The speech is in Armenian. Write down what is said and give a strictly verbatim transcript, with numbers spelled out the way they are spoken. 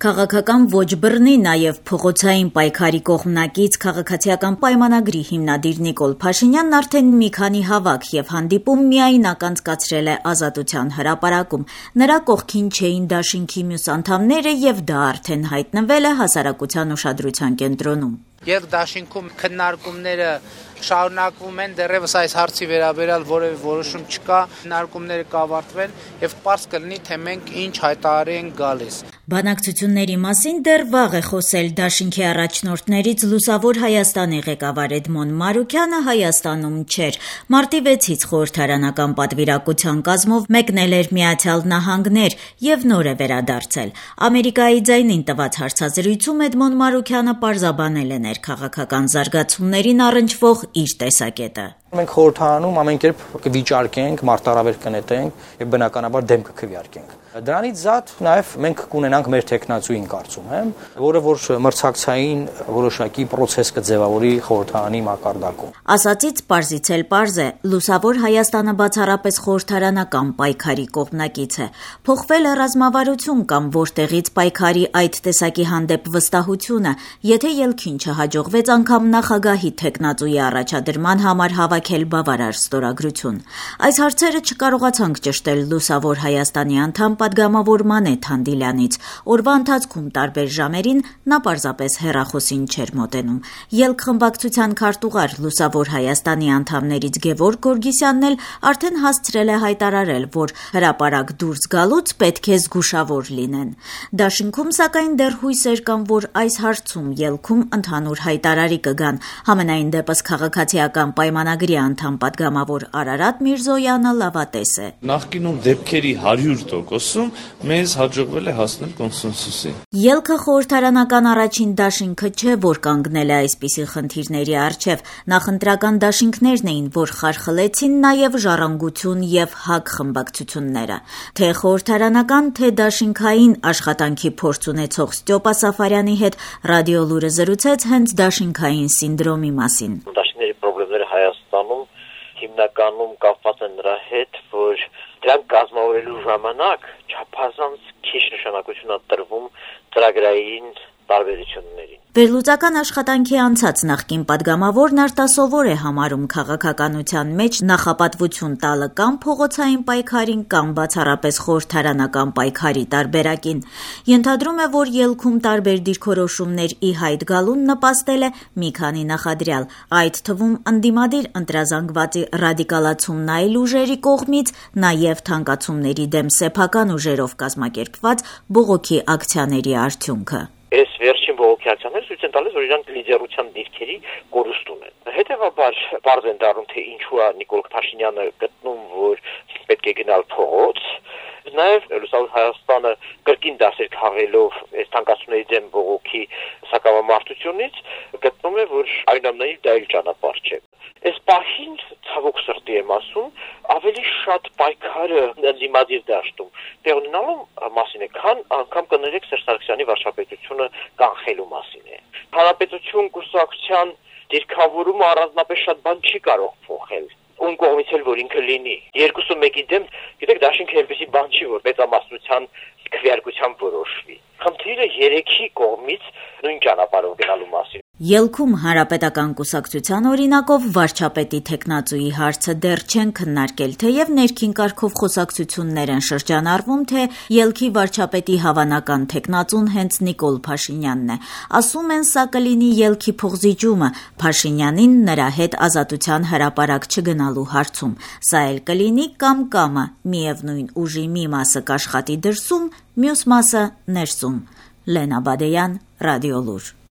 Քաղաքական ոչ բռնի, նաև փողոցային պայքարի կողմնակից քաղաքացիական պայմանագրի հիմնադիր Նիկոլ Փաշինյանն արդեն մի քանի հավաք եւ հանդիպում միայնակ անցկացրել է Ազատության հրապարակում։ Նրա կողքին չէին դաշինքի մյուս անդամները եւ դա արդեն հայտնվել է հասարակության ուշադրության կենտրոնում։ Եվ դաշինքում քննարկումները շարունակվում են, դեռևս այս հարցի վերաբերյալ որևէ որոշում չկա, քննարկումները կավարտվեն եւ պարզ կլինի, թե մենք ինչ հայտարարի ենք գալիս։ Բանակցությունների մասին դեռ վաղ է խոսել դաշինքի առաջնորդներից Լուսավոր Հայաստանի ղեկավար Էդմոն Մարուքյանը Հայաստանում չէր։ Մարտի վեցից խորհրդարանական պատվիրակության կազմով մեկնել էր Միացյալ Նահանգներ եւ նոր է վերադարձել։ Ամերիկայի ձայնին տված հարցազրույցում Էդմոն Մարուքյանը պարզաբանել է ներքաղաքական զարգացումներին առնչվող իր տեսակետը։ Մենք խորհրդարանում ամեն կերպ կվիճարկենք, մարտահրավեր կնետենք եւ բնականաբար դեմ կքվեարկենք։ Դրանից զատ նաև մենք կունենանք մեր տեխնացուին կարծում եմ, որը որ մրցակցային որոշակի process կձևավորի խորհրդարանի մակարդակում։ Ասացից պարզից էլ պարզ է, Լուսավոր Հայաստանը բացառապես խորհրդարանական պայքարի կողմնակից է։ Փոխվել է ռազմավարություն կամ որտեղից պայքարի այդ տեսակի հանդեպ վստահությունը, եթե ելքին չհաջողվեց անգամ նախագահի տեխնացուի առաջադրման համար հավաքել բավարար ստորագրություն։ Այս հարցերը չկարողացանք ճշտել Լուսավոր Հայաստանի անդամ պատգամավոր Մանեթ Հանդիլյանից։ Օրվա ընթացքում տարբեր ժամերին նա պարզապես հեռախոսին չէր մոտենում։ Ելք խմբակցության քարտուղար Լուսավոր Հայաստանի անդամներից Գևորգ Գորգիսյանն էլ արդեն հասցրել է հայտարարել, որ հրապարակ դուրս գալուց պետք է զգուշավոր լինեն։ Դաշինքում սակայն դեռ հույսեր կան, որ այս հարցում ելքում ընդհանուր հայտարարի կգան։ Համենայն դեպս քաղաքացիական պայմանագրի անդամ պատգամավոր Արարատ Միրզոյանը լավատես է։ Նախկինում դեպքերի հարյուր տոկոս մեզ հաջողվել է հասնել կոնսենսուսի։ Ելքը խորհրդարանական առաջին դաշինքը չէ, որ կանգնել է այսպիսի խնդիրների առջև։ Նախընտրական դաշինքներն էին, որ խարխլեցին նաև ժառանգություն եւ ՀԱԿ խմբակցությունները։ Թե խորհրդարանական, թե դաշինքային աշխատանքի փորձ ունեցող Ստյոպա Սաֆարյանի հետ Ռադիո Լուրը զրուցեց հենց դաշինքային սինդրոմի մասին։ Դաշինքների խնդիրները Հայաստանում հիմնականում կապված են նրա հետ, որ դրանք կազմավորելու ժամանակ չափազանց քիչ նշանակություն է տրվում ծրագրային տարբերություններին։ Վերլուծական աշխատանքի անցած նախկին պատգամավորն արտասովոր է համարում քաղաքականության մեջ նախապատվություն տալը կամ փողոցային պայքարին կամ բացառապես խորհրդարանական պայքարի տարբերակին։ Ենթադրում է, որ ելքում տարբեր դիրքորոշումներ ի հայտ գալուն նպաստել է մի քանի նախադրյալ, այդ թվում ընդդիմադիր ընտրազանգվածի ռադիկալացումն այլ ուժերի կողմից, նաև թանկացումների դեմ սեփական ուժերով կազմակերպված բողոքի ակցիաների արդյունքը։ Այս վերջին բողոքի ակցիաները ցույց են տալիս, որ իրանք լիդերության դիրքերի կորուստ ունեն։ Հետևաբար բարձ են դառնում, թե ինչու է Նիկոլ Փաշինյանը գտնում, որ պետք է գնալ փողոց։ Նաև Լուսավոր Հայաստանը կրկին դասեր քաղելով այս թանկացումների դեմ բողոքի սակավամարտությունից գտնում է, որ այնուամենայնիվ դա էլ ճանապարհ չէ։ Այս պահին ցավոք սրտի եմ ասում, ավելի շատ պայքարը ընդդիմադիր դաշտում տեղ ունենալու մասին է, քան անգամ կներեք Սերժ Սարգսյանի վարչապետությունը կանխելու մասին է։ Հանրապետություն կուսակցության դիրքավորումը առանձնապես շատ բան չի կարող փոխել։ Ում կողմից էլ որ ինքը լինի։ Երկուսը մեկի դեմ, գիտեք, դաշինքը այնպեսի բան չի, որ մեծամասնության քվեարկությամբ որոշվի։ Խնդիրը երեքի կողմից նույն ճանապարհով գնալու մասին։ Ելքում Հանրապետական կուսակցության օրինակով վարչապետի տեխնացուի հարցը դեռ չեն քննարկել, թեև ներքին կարգով խոսակցություններ են շրջանառվում, թե ելքի վարչապետի հավանական տեխնացուն հենց Նիկոլ Փաշինյանն է։ Ասում են, սա կլինի ելքի փոխզիջումը Փաշինյանին նրա հետ Ազատության հրապարակ չգնալու հարցում։ Սա էլ կլինի կամ կամը, միևնույն ուժի մի մասը կաշխատի դրսում, մյուս մասը ներսում։ Լենա Բադեյան, Ռադիո Լուր։